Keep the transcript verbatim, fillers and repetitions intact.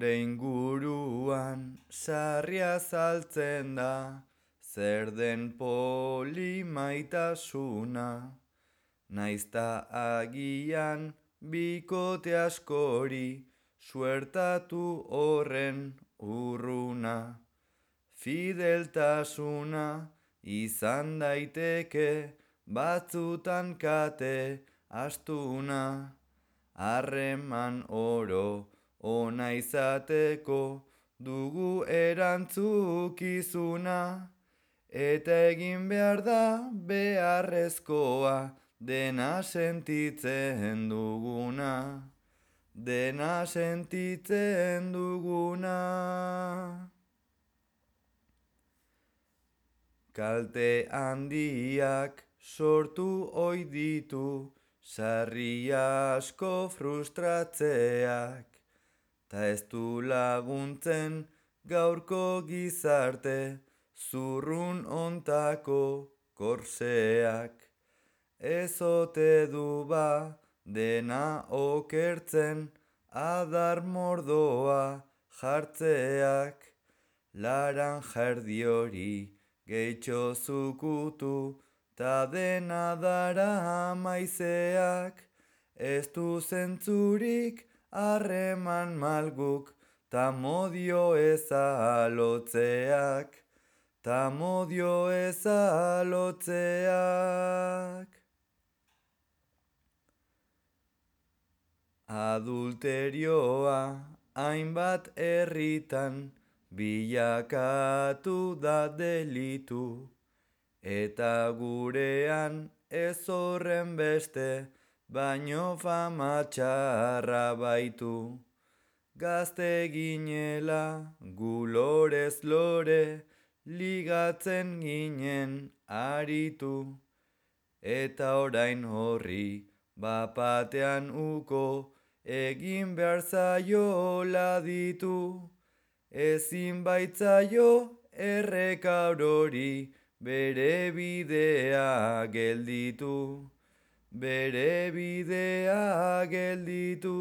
Gure inguruan sarria saltzen da, zer den polimaitasuna. Naizta agian bikote askori, suertatu horren urruna. Fideltasuna izan daiteke batzutan kate astuna. Harreman oro ona izateko dugu erantzukizuna. Eta egin behar da beharrezkoa dena sentitzen duguna. Dena sentitzen duguna. Kalte handiak sortu ohi ditu, sarri asko frustratzeak. Ta ez du laguntzen gaurko gizarte, zurrun ontako korseak. Ez ote du ba dena okertzen, adar mordoa jartzeak. Laranja erdi hori gehitxo zukutu, ta dena dara maizeak. Ez du zentzurik harreman malguk, ta modio eza lotzeak. Ta modio eza lotzeak. Adulterioa hainbat herritan bilakatu da delitu. Eta gurean ez horren beste, baino fama txarra baitu. Gazte ginela gu lorez lore, ligatzen ginen aritu. Eta orain horri bapatean uko, egin behar zaio laditu. Ezin baitzaio erreka orori, bere bidea gelditu. Bere bidea gelditu.